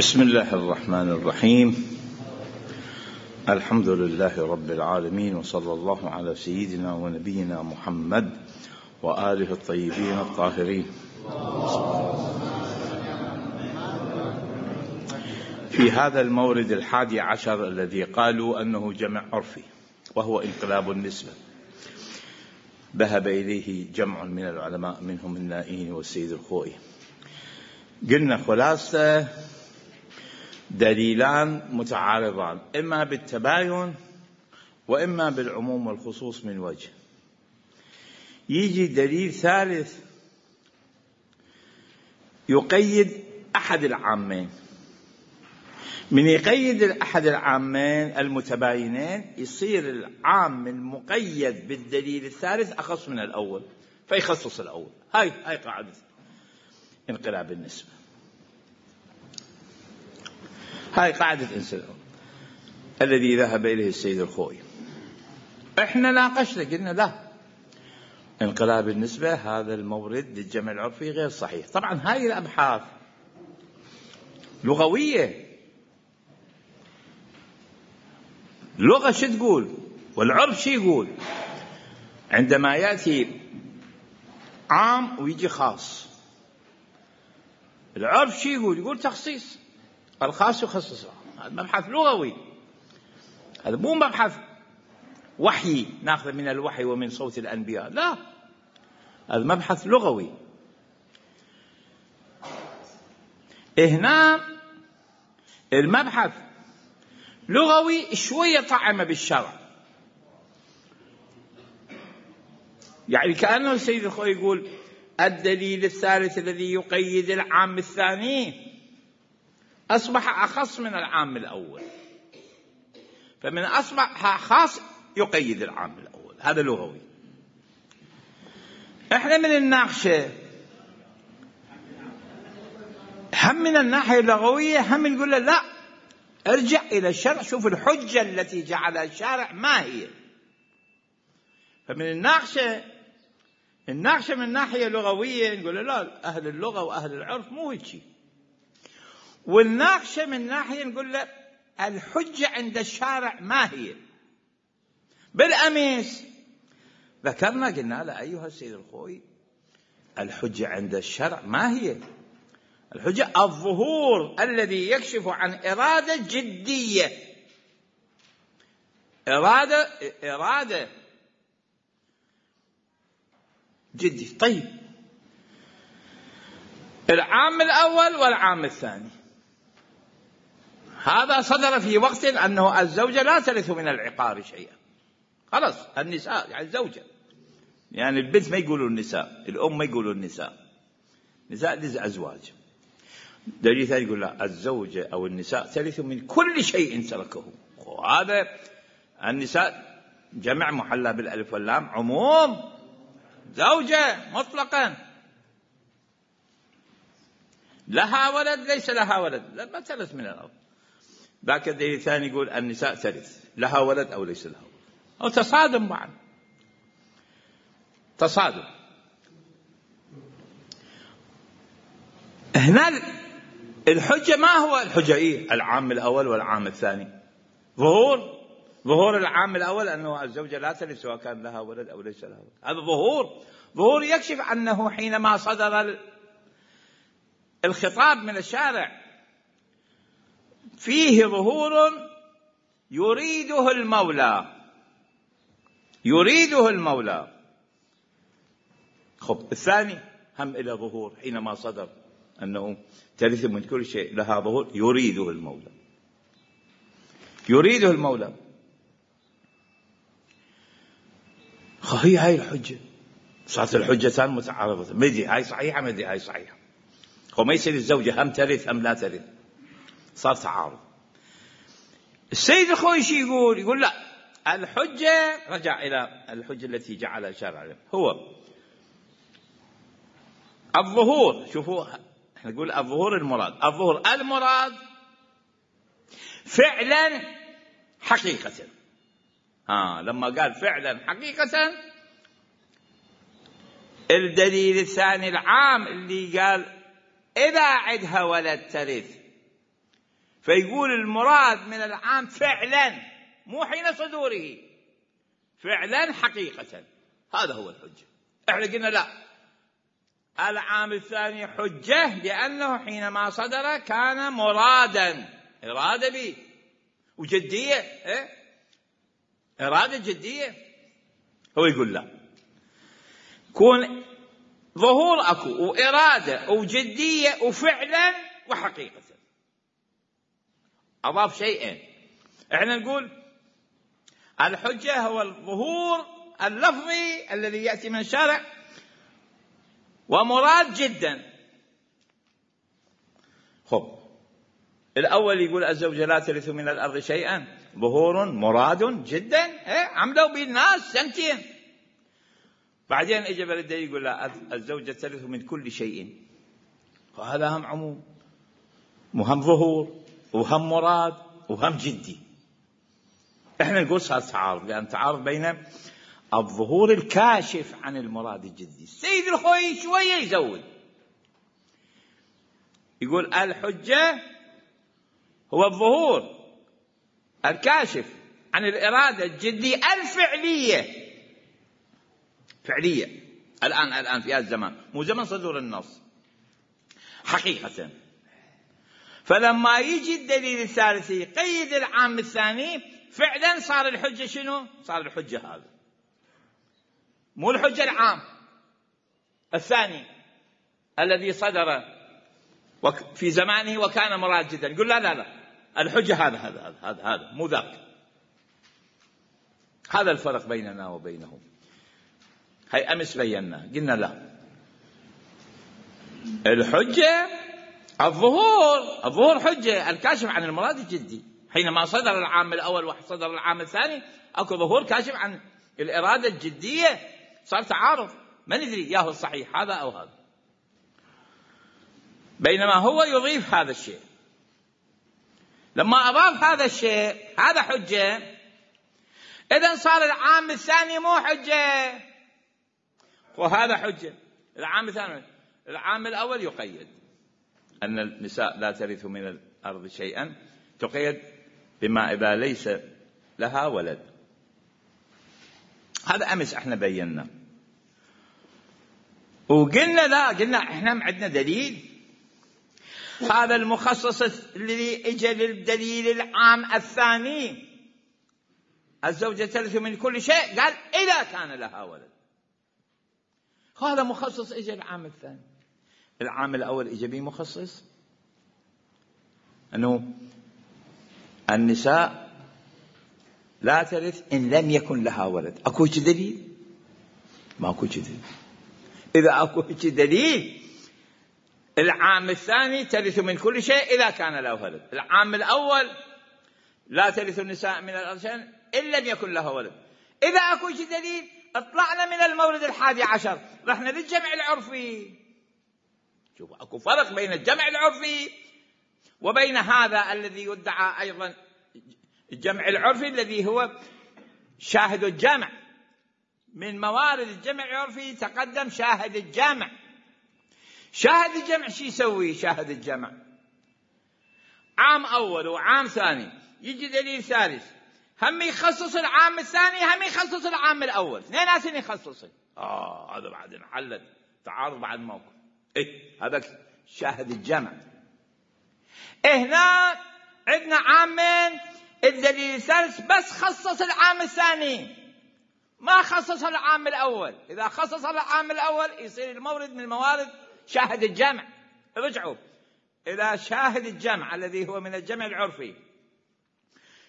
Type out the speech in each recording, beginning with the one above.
بسم الله الرحمن الرحيم. الحمد لله رب العالمين، وصلى الله على سيدنا ونبينا محمد وآله الطيبين الطاهرين. في هذا المورد 11 الذي قالوا أنه جمع عرفي وهو انقلاب النسبة، ذهب إليه جمع من العلماء منهم النائين والسيد الخوئي. قلنا خلاصة دليلان متعارضان، إما بالتباين وإما بالعموم والخصوص من وجه. يجي دليل ثالث يقيد أحد العامين. من يقيد أحد العامين المتباينين يصير العام المقيد بالدليل الثالث أخص من الأول فيخصص الأول. هاي قاعدة انقلاب النسبة، هاي قاعدة انسان الذي ذهب إليه السيد الخوئي. احنا ناقشنا قلنا لا، انقلاب النسبة هذا المورد للجمع العرفي غير صحيح. طبعا هاي الأبحاث لغوية، اللغة شو تقول والعرف شو يقول. عندما يأتي عام ويجي خاص، العرف شو يقول تخصيص، الخاص يخصص. هذا مبحث لغوي، هذا مو مبحث وحي ناخذ من الوحي ومن صوت الأنبياء، لا، هذا مبحث لغوي. هنا المبحث لغوي شوية طعم بالشرع، يعني كأنه السيد الخوئي يقول الدليل الثالث الذي يقيد العام الثاني أصبح أخص من العام الأول، فمن أصبح خاص يقيد العام الأول. هذا لغوي. احنا من الناقشة هم من الناحية اللغوية هم نقول له لا، ارجع إلى الشرع، شوف الحجة التي جعلها الشارع ما هي. فمن الناقشة من الناحية اللغوية نقول له لا، أهل اللغة وأهل العرف مو هيك. والناقشة من ناحية نقول له الحجة عند الشارع ما هي. بالأمس ذكرنا قلنا له أيها السيد الخوئي، الحجة عند الشرع ما هي؟ الحجة الظهور الذي يكشف عن إرادة جدية، إرادة جدي. طيب العام الأول والعام الثاني هذا صدر في وقت أنه الزوجة لا ترث من العقار شيئا، خلاص النساء يعني الزوجة، يعني البنت ما يقولوا النساء، الأم ما يقولوا النساء للأزواج. دليل ثاني يقول لا، الزوجة أو النساء ترث من كل شيء تركه. وهذا النساء جمع محلى بالألف واللام، عموم زوجة مطلقا، لها ولد ليس لها ولد لا ترث من الأرض. ذاك الدليل الثاني يقول النساء ترث لها ولد أو ليس لها ولد، أو تصادم معا، تصادم. هنا الحجة ما هو الحجة؟ العام الأول والعام الثاني. ظهور العام الأول أنه الزوجة لا ترث سواء كان لها ولد أو ليس لها ولد. هذا ظهور يكشف أنه حينما صدر الخطاب من الشارع فيه ظهور يريده المولى. خب الثاني هم إلى ظهور حينما صدر أنه ترث من كل شيء لها ظهور يريده المولى. هاي الحجة صارت الحجتان متعارضة، مدي هاي صحيحة مدي هاي صحيحة. وما يصير الزوجة هم ترث هم لا ترث، صار تعارض. السيد الخوئي يقول لا، الحجة رجع إلى الحجة التي جعلها الشارع هو الظهور. شوفوا احنا نقول الظهور المراد فعلا حقيقة. لما قال فعلا حقيقة، الدليل الثاني العام اللي قال إذا عدها ولد ترث، فيقول المراد من العام فعلا، مو حين صدوره، فعلا حقيقة. هذا هو الحجة. احنا قلنا لا، العام الثاني حجة لأنه حينما صدر كان مرادا، إرادة به وجدية، إرادة جدية. هو يقول لا، كون ظهور أكو وإرادة وجدية وفعلا وحقيقة، أضاف شيئين. احنا نقول الحجة هو الظهور اللفظي الذي يأتي من الشارع ومراد جدا. خب، الأول يقول الزوجة لا ترث من الأرض شيئا، ظهور مراد جدا، عملوا به الناس سنتين. بعدين اجى بلده يقول لا، الزوجة ترث من كل شيء. وهذا هم عموم وهم ظهور وهم مراد وهم جدي. احنا نقول صار تعارض، لأن تعارض بين الظهور الكاشف عن المراد الجدي. السيد الخوي شوية يزود، يقول الحجة هو الظهور الكاشف عن الإرادة الجدية الفعلية، فعلية الآن في هذا الزمان، مو زمن صدور النص، حقيقة. فلما يجي الدليل الثالث يقيد العام الثاني، فعلا صار الحجة شنو؟ صار الحجة هذا، مو الحجة العام الثاني الذي صدر في زمانه وكان مراد جدا. يقول لا لا لا، الحجة هذا مو ذاك. هذا الفرق بيننا وبينهم. هاي أمس بينا، قلنا لا، الحجة الظهور حجة الكاشف عن المراد الجدي. حينما صدر العام الأول وصدر العام الثاني أكو ظهور كاشف عن الإرادة الجدية. صار تعارض، ما ندري ياهو الصحيح هذا أو هذا، بينما هو يضيف هذا الشيء. لما أضاف هذا الشيء هذا حجة، إذن صار العام الثاني مو حجة وهذا حجة. العام الثاني، العام الأول يقيد أن النساء لا ترث من الأرض شيئا، تقيد بما إذا ليس لها ولد. هذا أمس احنا بينا وقلنا لا، قلنا احنا عندنا دليل. هذا المخصص الذي اجى للدليل العام الثاني، الزوجة ترث من كل شيء، قال إذا كان لها ولد. هذا مخصص اجى العام الثاني. العام الأول اجى به مخصص أنه النساء لا ترث إن لم يكن لها ولد. أكو دليل؟ ما أكو دليل. إذا أكو دليل، العام الثاني ترث من كل شيء إذا كان له ولد. العام الأول لا ترث النساء من الأرض شيئا إن لم يكن لها ولد. إذا أكو دليل، اطلعنا من المورد 11، رحنا للجمع العرفي. شوفوا، أكو فرق بين الجمع العرفي وبين هذا الذي يدعى أيضا الجمع العرفي الذي هو شاهد الجمع. من موارد الجمع العرفي تقدم شاهد الجمع. شاهد الجمع شو يسوي؟ شاهد الجمع عام أول وعام ثاني، يجي دليل ثالث هم يخصص العام الثاني هم يخصص العام الأول، اثنين يخصص. هذا بعد انحلت تعارض بعد موقف. هذا شاهد الجمع. هنا عندنا عامين، الدليل الثالث بس خصص العام الثاني ما خصص العام الأول. إذا خصص العام الأول يصير المورد من الموارد شاهد الجمع. رجعوا إلى شاهد الجمع الذي هو من الجمع العرفي.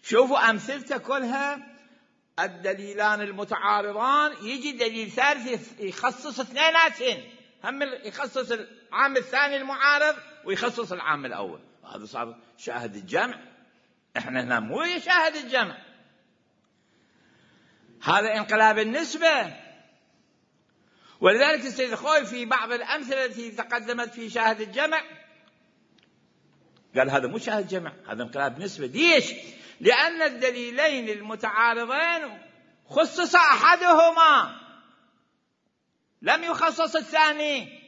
شوفوا أمثلته كلها الدليلان المتعارضان، يجي دليل ثالث يخصص اثنيناتهم، هم يخصص العام الثاني المعارض ويخصص العام الأول. هذا صار شاهد الجمع. احنا هنا مو شاهد الجمع، هذا انقلاب النسبة. ولذلك السيد الخوي في بعض الأمثلة التي تقدمت في شاهد الجمع قال هذا مو شاهد جمع، هذا انقلاب نسبة. ليش؟ لأن الدليلين المتعارضين خصص أحدهما لم يخصص الثاني.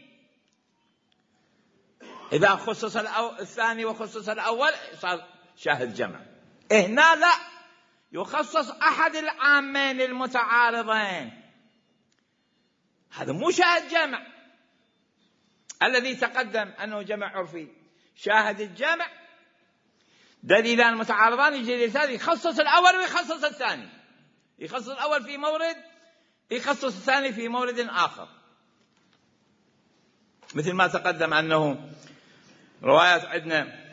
إذا خصص الثاني وخصص الأول صار شاهد جمع. هنا لا، يخصص أحد العامين المتعارضين، هذا مو شاهد جمع. الذي تقدم أنه جمع عرفي، شاهد الجمع دليلان متعارضان، يجي الثاني يخصص الأول ويخصص الثاني، يخصص الأول في مورد، يخصص الثاني في مورد آخر. مثل ما تقدم أنه روايات عندنا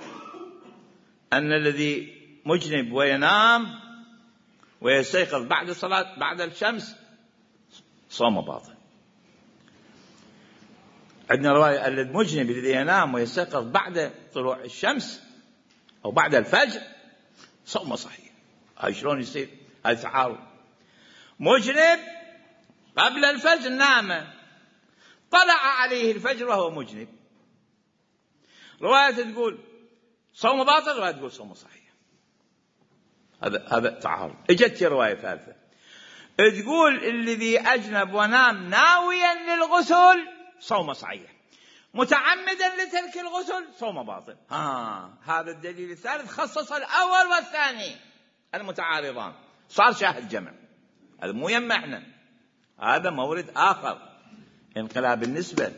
أن الذي مجنب وينام ويستيقظ بعد الصلاة بعد الشمس صوم باطل. عندنا رواية أن المجنب الذي ينام ويستيقظ بعد طلوع الشمس أو بعد الفجر صوم صحيح. هاي شلون يصير؟ هاي تعارض. مجنب قبل الفجر نام، طلع عليه الفجر وهو مجنب، رواية تقول صوم باطل، رواية تقول صوم صحيح. هذا تعارض. اجت رواية ثالثة تقول الذي أجنب ونام ناويا للغسل صوم صحيح، متعمدا لترك الغسل صوم باطل. هذا الدليل الثالث خصص الأول والثاني المتعارضان، صار شاهد جمع. هذا مو يمعنا، هذا مورد آخر، انقلاب النسبة.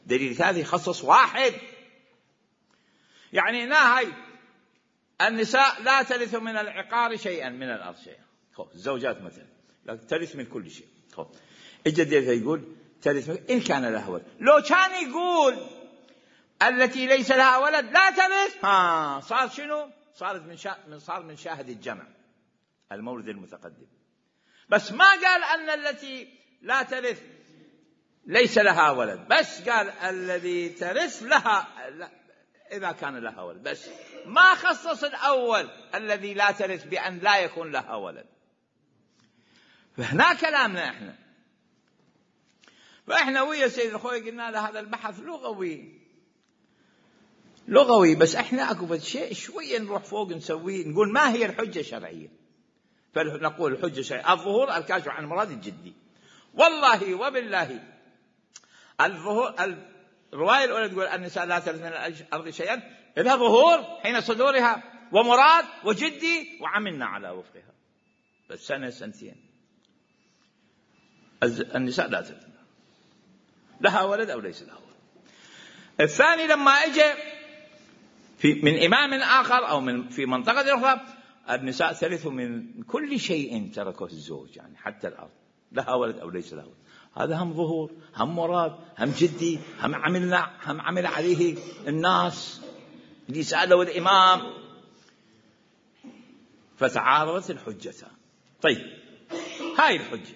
دليل ثالث يخصص واحد. يعني هنا هاي النساء لا ترث من العقار شيئا، من الأرض شيئا. الزوجات مثلا لا ترث من كل شيء. الجديد يقول ترث إن كان لها ولد. لو كان يقول التي ليس لها ولد لا ترث، صار شنو؟ صار من شاهد الجمع المورد المتقدم. بس ما قال أن التي لا ترث ليس لها ولد، بس قال الذي ترث لها إذا كان لها ولد، بس ما خصص الأول الذي لا ترث بأن لا يكون لها ولد. فهنا كلامنا فإحنا ويا سيد الخوي قلنا له هذا البحث لغوي، بس إحنا أكو شيء شوية نروح فوق نسويه، نقول ما هي الحجة الشرعية. فنقول الحجة الشرعية الظهور الكاشف عن المراد الجدي. والله وبالله الظهور، الرواية الأولى تقول النساء لا ترث من الأرض شيئا، إذا ظهور حين صدورها ومراد وجدي وعملنا على وفقها، بس سنة سنتين. النساء لا ترث لها ولد أو ليس لها ولد. الثاني لما اجى من إمام آخر أو في منطقة أخرى، النساء ترث من كل شيء تركه الزوج، يعني حتى الأرض، لها ولد أو ليس لها ولد. هذا هم ظهور، هم مراد، هم جدي، هم عمل عليه الناس اللي سألوا الإمام. فتعارضت الحجتان. طيب هاي الحجة.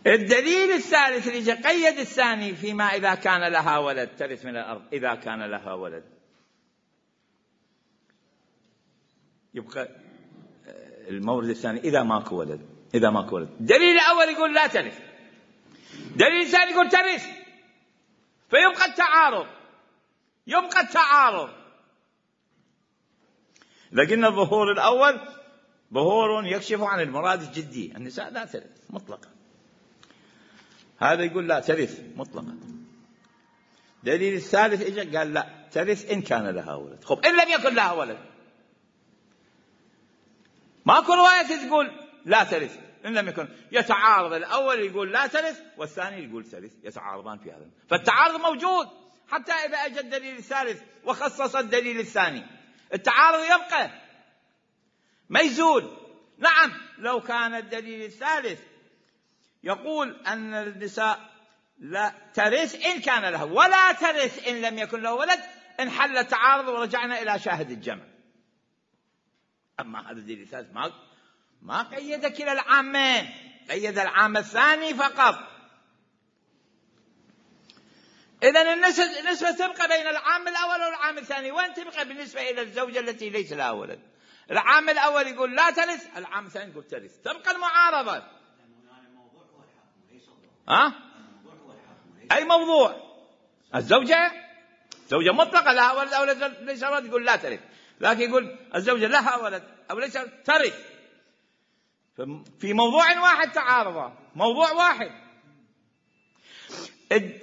الدليل الثالث اللي قيد الثاني فيما إذا كان لها ولد ترث من الأرض، إذا كان لها ولد. يبقى المورد الثاني إذا ماكو ولد، إذا ماكو ولد. الدليل الأول يقول لا ترث، الدليل الثاني يقول ترث، فيبقى التعارض. لكن الظهور الأول ظهور يكشف عن المراد الجدي، النساء لا ترث مطلقا. هذا يقول لا ترث مطلقا. دليل الثالث إجا قال لا ترث إن كان لها ولد. خب إن لم يكن لها ولد، ماكو رواية تقول لا ترث إن لم يكن. يتعارض، الأول يقول لا ترث والثاني يقول ترث، يتعارضان في هذا. فالتعارض موجود حتى إذا أجى الدليل الثالث وخصص الدليل الثاني، التعارض يبقى ما يزول. نعم لو كان الدليل الثالث يقول أن النساء لا ترث إن كان لها، ولا ترث إن لم يكن له ولد، انحل التعارض ورجعنا إلى شاهد الجمع. أما هذا الدليل الثالث ما قيد كلا العامين، قيد العام الثاني فقط. إذن النسبة تبقى بين العام الأول والعام الثاني. وين تبقى بالنسبة إلى الزوجة التي ليس لها ولد؟ العام الأول يقول لا ترث، العام الثاني يقول ترث، تبقى المعارضة. أي موضوع؟ الزوجة مطلقة لها ولد أو ليس ولد يقول لا ترث، لكن يقول الزوجة لها ولد أو ليس ترث. في موضوع واحد تعارضا، موضوع واحد.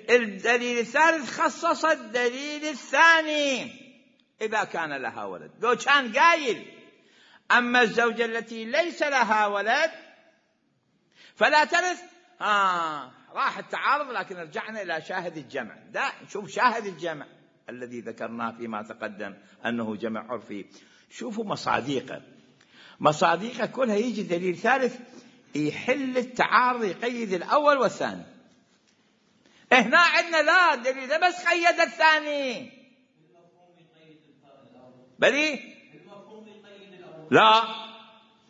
الدليل الثالث خصص الدليل الثاني إذا كان لها ولد. لو كان قايل أما الزوجة التي ليس لها ولد فلا ترث، راح التعارض. لكن رجعنا إلى شاهد الجمع. ده شوف شاهد الجمع الذي ذكرناه فيما تقدم أنه جمع عرفي. شوفوا مصاديقه كلها يجي دليل ثالث يحل التعارض، يقيد الأول والثاني. هنا عندنا لا دليل ده بس قيد الثاني. بلي لا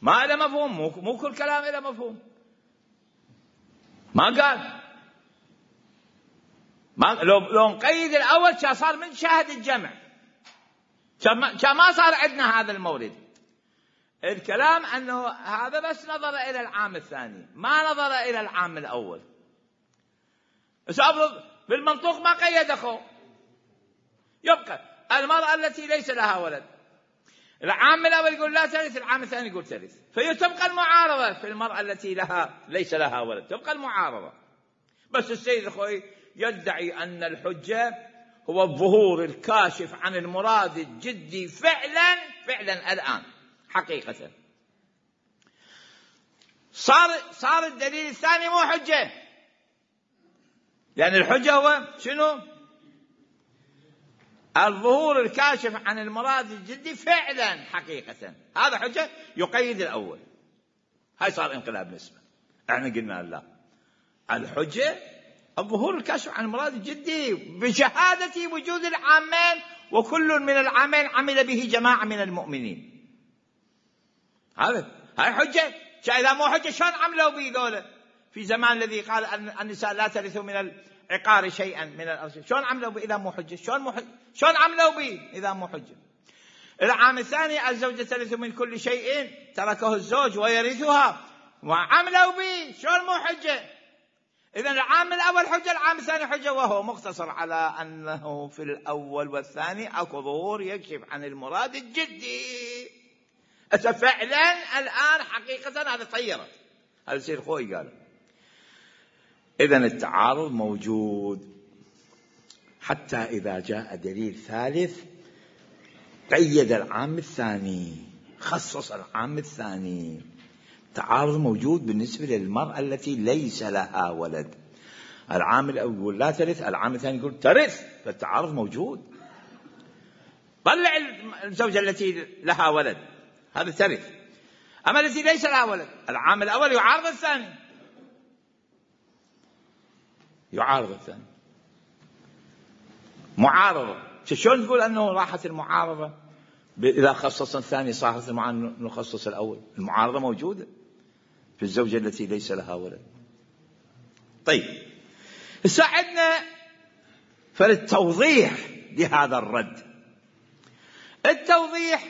ما له مفهوم، مو كل كلام له مفهوم. ما قال لو نقيد الأول كان صار من شاهد الجمع، كان ما صار عندنا هذا المورد. الكلام أنه هذا بس نظر إلى العام الثاني ما نظر إلى العام الأول. سأفرض بالمنطوق ما قيد أخو، يبقى المرأة التي ليس لها ولد العام الأول يقول لا ترث، العام الثاني يقول ترث، فتبقى المعارضة في المرأة التي ليس لها ولد، تبقى المعارضة. بس السيد أخوي يدعي أن الحجة هو الظهور الكاشف عن المراد الجدي فعلا الآن حقيقة. صار الدليل الثاني مو حجة، يعني الحجة هو شنو؟ الظهور الكاشف عن المراد الجدي فعلا حقيقة. هذا حجة يقيد الأول. هاي صار انقلاب نسبة. احنا قلنا لا، الحجة الظهور الكاشف عن المراد الجدي بشهادة وجود العامين، وكل من العامين عمل به جماعة من المؤمنين. هاي حجة. إذا مو حجة شلون عملوا به ذولا في زمان الذي قال أن النساء لا ترث من العقار شيئا من الأرض؟ شلون عملوا به إذا مو حجة؟ شلون عملوا به إذا مو حجة؟ العام الثاني الزوجة ترث من كل شيء تركه الزوج ويرثها، وعملوا به شلون مو حجة؟ إذن العام الأول حجة، العام الثاني حجة، وهو مقتصر على أنه في الأول والثاني أكو ظهور يكشف عن المراد الجدي. فعلا الآن حقيقة هذا طيرت. هذا سير خوي قال. إذن التعارض موجود حتى إذا جاء دليل ثالث قيد العام الثاني، خصص العام الثاني. تعارض موجود بالنسبة للمرأة التي ليس لها ولد. العام الأول يقول لا ترث، العام الثاني يقول ترث، فالتعارض موجود. طلع الزوجة التي لها ولد هذا ترث، أما التي ليس لها ولد العام الأول يعارض الثاني، معارضة. شلون تقول أنه راحت المعارضة إذا خصص الثاني صارت نخصص الأول؟ المعارضة موجودة في الزوجة التي ليس لها ولد. طيب ساعدنا فالتوضيح لهذا الرد. التوضيح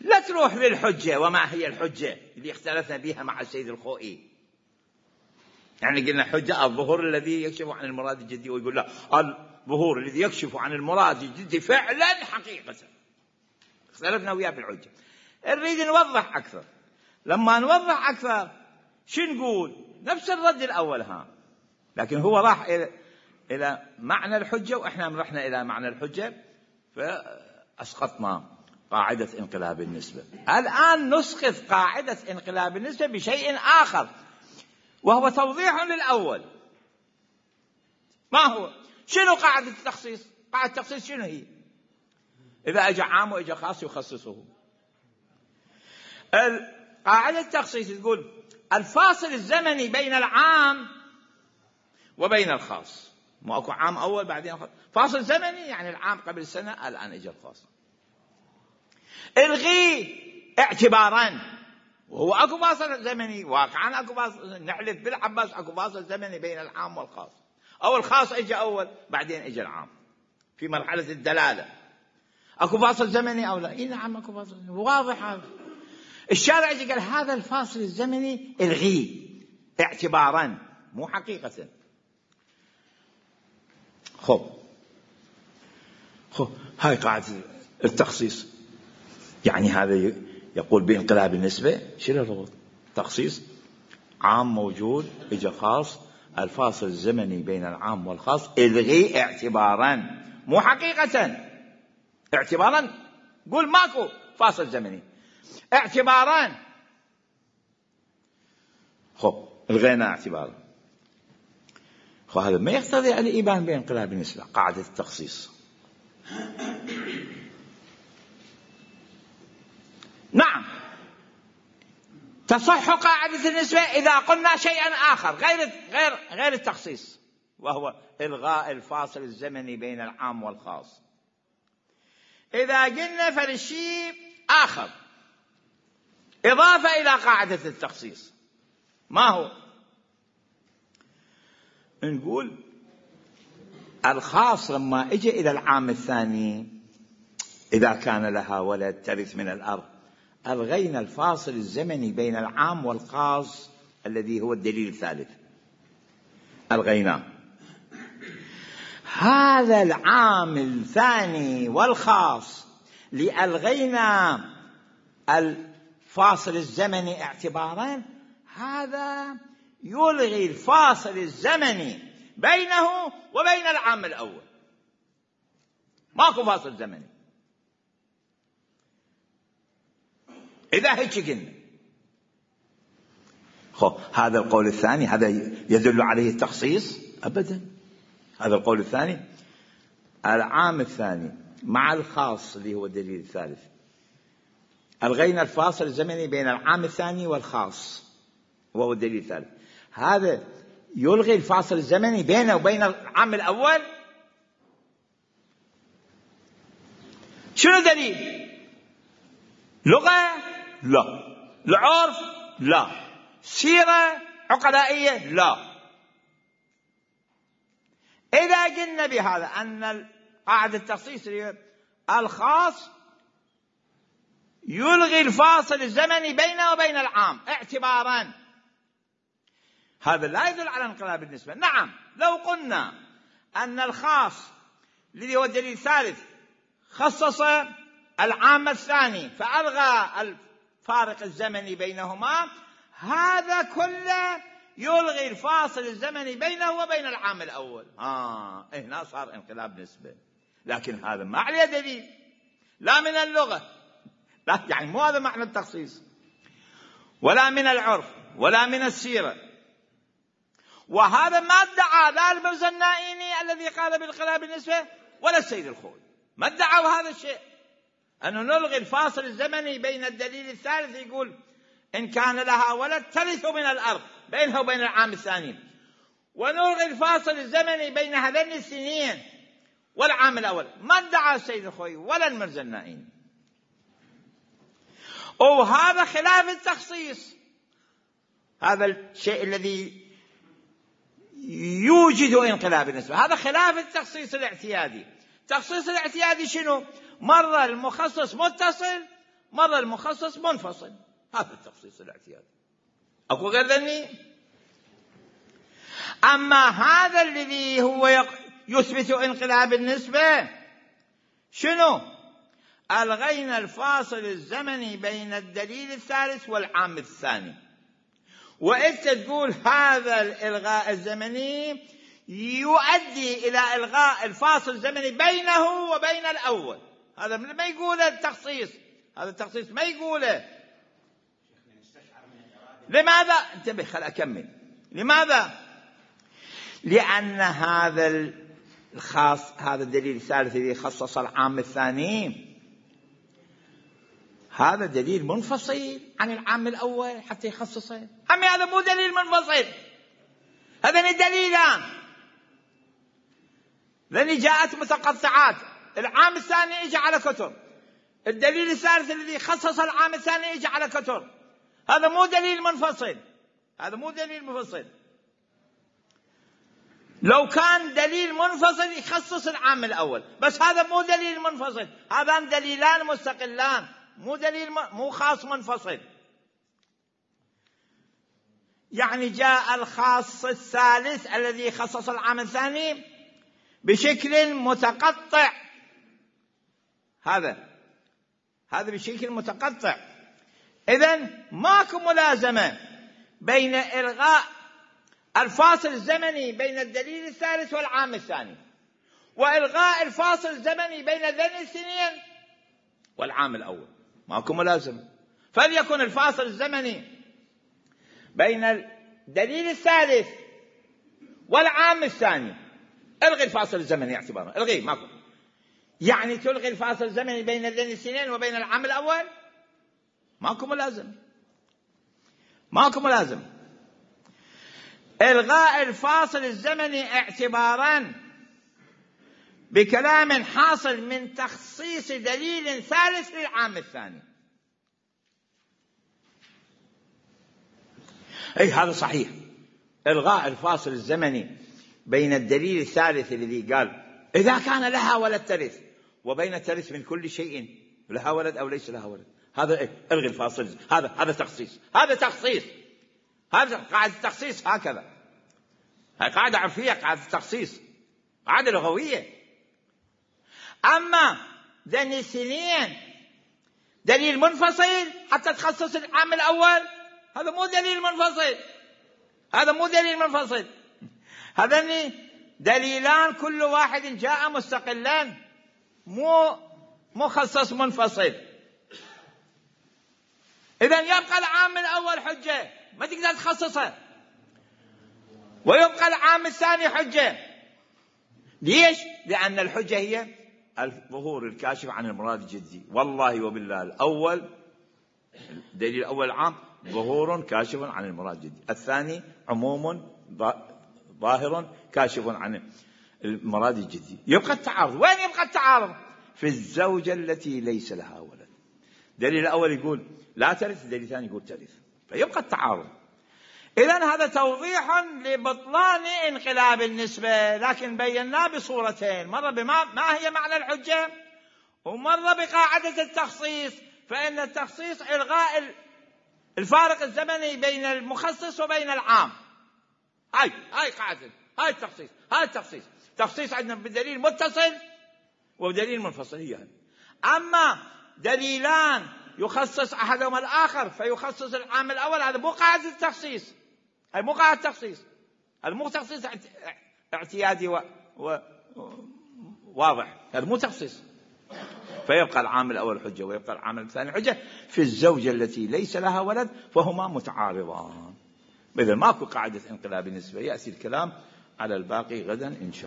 لا تروح للحجة. وما هي الحجة اللي اختلفنا بها مع السيد الخوئي؟ يعني قلنا حجة الظهور الذي يكشف عن المراد الجدي، ويقول لا، الظهور الذي يكشف عن المراد الجدي فعلا حقيقة. اختلفنا وياه بالحجة. نريد نوضح أكثر. لما نوضح أكثر شو نقول؟ نفس الرد الأول لكن هو راح إلى معنى الحجة وإحنا رحنا إلى معنى الحجة، فأسقطنا قاعدة انقلاب النسبة. الآن نسقط قاعدة انقلاب النسبة بشيء آخر، وهو توضيح للأول. ما هو؟ شنو قاعدة التخصيص؟ قاعدة التخصيص شنو هي؟ إذا أجى عام وإجى خاص يخصصه. قاعدة التخصيص تقول الفاصل الزمني بين العام وبين الخاص. ما أكو عام أول بعدين خاص. فاصل زمني يعني العام قبل سنة، الآن إجى الخاص. الغي اعتبارا، وهو أكو فاصل زمني واقعا، أكو فاصل، نحلف بالعباس أكو فاصل زمني بين العام والخاص، أو الخاص إجى أول بعدين إجى العام في مرحلة الدلالة. أكو فاصل زمني أو لا؟ إيه نعم أكو فاصل زمني، واضح هذا. الشارع يجي قال هذا الفاصل الزمني الغيه اعتبارا مو حقيقة. خب هاي قاعدة التخصيص. يعني هذا يقول بانقلاب النسبة. شنو الربط؟ تخصيص عام موجود إجا خاص، الفاصل الزمني بين العام والخاص الغي اعتبارا، مو حقيقة، اعتبارا. قول ماكو فاصل زمني، اعتبارا. خب الغينا اعتبارا. خب هذا ما يقتضي الإيمان بانقلاب النسبة، قاعدة التخصيص. نعم تصح قاعدة النسبة إذا قلنا شيئا آخر غير التخصيص، وهو إلغاء الفاصل الزمني بين العام والخاص. إذا قلنا فالشيء آخر إضافة إلى قاعدة التخصيص، ما هو؟ نقول الخاص لما اجى إلى العام الثاني إذا كان لها ولد ترث من الأرض، ألغينا الفاصل الزمني بين العام والخاص الذي هو الدليل الثالث، ألغيناه. هذا العام الثاني والخاص لألغينا الفاصل الزمني اعتبارا، هذا يلغي الفاصل الزمني بينه وبين العام الأول، ماكو فاصل زمني. إذا هيك قلنا هذا القول الثاني هذا يدل عليه التخصيص؟ أبدا. هذا القول الثاني، العام الثاني مع الخاص اللي هو الدليل الثالث، ألغينا الفاصل الزمني بين العام الثاني والخاص وهو الدليل الثالث، هذا يلغي الفاصل الزمني بينه وبين العام الأول. شنو دليل؟ لغة؟ لا. العرف؟ لا. سيرة عقلائية؟ لا. إذا قلنا بهذا أن قاعدة التخصيص الخاص يلغي الفاصل الزمني بينه وبين العام اعتبارا، هذا لا يدل على انقلاب النسبة. نعم لو قلنا أن الخاص الذي هو الدليل الثالث خصص العام الثاني فألغى الفارق الزمني بينهما، هذا كله يلغي الفاصل الزمني بينه وبين العام الأول. هنا صار انقلاب نسبة. لكن هذا ما عليه دليل، لا من اللغة، لا يعني مو هذا معنى التخصيص، ولا من العرف، ولا من السيرة. وهذا ما ادعى لا المرزا النائيني الذي قال بانقلاب النسبة ولا السيد الخوئي، ما ادعوا هذا الشيء، أنه نلغي الفاصل الزمني بين الدليل الثالث، يقول إن كان لها ولد ترث من الأرض بينها وبين العام الثاني، ونلغي الفاصل الزمني بين هذين السنين والعام الأول. ما ادعى السيد الخوئي ولا المرزا النائيني. وهذا خلاف التخصيص، هذا الشيء الذي يوجد انقلاب النسبة، هذا خلاف التخصيص الاعتيادي. التخصيص الاعتيادي شنو؟ مرة المخصص متصل، مرة المخصص منفصل، هذا التخصيص الاعتيادي، أكو غير ذني. أما هذا الذي هو يثبت انقلاب النسبة شنو؟ ألغينا الفاصل الزمني بين الدليل الثالث والعام الثاني، وأنت تقول هذا الإلغاء الزمني يؤدي إلى إلغاء الفاصل الزمني بينه وبين الأول. هذا ما يقوله التخصيص، هذا التخصيص ما يقوله. لماذا؟ انتبه خل أكمل. لماذا؟ لأن هذا الخاص، هذا الدليل الثالث الذي خصص العام الثاني، هذا دليل منفصل عن العام الأول حتى يخصصه. أما هذا مو دليل منفصل، هذا دليلان لأن جاءت متقطعات. العام الثاني يجي على كتر، الدليل الثالث الذي خصص العام الثاني يجي على كتر. هذا مو دليل منفصل، هذا مو دليل منفصل. لو كان دليل منفصل يخصص العام الأول، بس هذا مو دليل منفصل، هذان دليلان مستقلان، مو دليل مو خاص منفصل. يعني جاء الخاص الثالث الذي خصص العام الثاني بشكل متقطع، هذا بشكل متقطع. إذن ماكو ملازمة بين إلغاء الفاصل الزمني بين الدليل الثالث والعام الثاني، وإلغاء الفاصل الزمني بين الدليل الاثنين والعام الأول. ماكو ملازمة. فليكن الفاصل الزمني بين الدليل الثالث والعام الثاني، الغي الفاصل الزمني اعتبارا، الغي، ماكو. يعني تلغي الفاصل الزمني بين الدليل الاثنين وبين العام الأول، ماكو ملازمة. ماكو ملازمة. إلغاء الفاصل الزمني اعتبارا بكلام حاصل من تخصيص دليل ثالث للعام الثاني. أي هذا صحيح. إلغاء الفاصل الزمني بين الدليل الثالث الذي قال إذا كان لها ولد ترث، وبين ترث من كل شيء لها ولد أو ليس لها ولد، هذا إيه؟ إلغي الفاصل. هذا تخصيص. هذا تخصيص. هذا قاعدة التخصيص. هكذا هاي قاعدة عرفية، قاعدة التخصيص، قاعدة لغوية. أما دليل اثنين دليل منفصل حتى تخصص العام الأول، هذا مو دليل منفصل. هذا مو دليل منفصل. هذان دليلان كل واحد جاء مستقلا، مو مخصص منفصل. إذن يبقى العام الأول حجة ما تقدر تخصصه، ويبقى العام الثاني حجة. ليش؟ لأن الحجة هي الظهور الكاشف عن المراد الجدي. والله وبالله الأول، الدليل الأول عام ظهور كاشف عن المراد الجدي، الثاني عموم ظاهر كاشف عن المراد الجدي. يبقى التعارض. وين يبقى التعارض؟ في الزوجة التي ليس لها ولد. الدليل الأول يقول لا ترث، الدليل الثاني يقول ترث، فيبقى التعارض. إذن هذا توضيح لبطلان انقلاب النسبة، لكن بيناه بصورتين، مرة ما هي معنى الحجة، ومرة بقاعدة التخصيص. فإن التخصيص إلغاء الفارق الزمني بين المخصص وبين العام. هاي قاعدة، هاي التخصيص. هاي التخصيص. تخصيص عندنا بدليل متصل ودليل منفصل. هي هذه. أما دليلان يخصص أحدهما الآخر فيخصص العام الأول، هذا مو قاعدة التخصيص. هاي مو قاعدة التخصيص. هذا مو تخصيص اعتيادي واضح. هذا مو تخصيص. فيبقى العام الأول حجة ويبقى العام الثاني حجة في الزوجة التي ليس لها ولد، فهما متعارضان. إذا ماكو قاعدة انقلاب النسبة. يأتي الكلام على الباقي غدا إن شاء الله.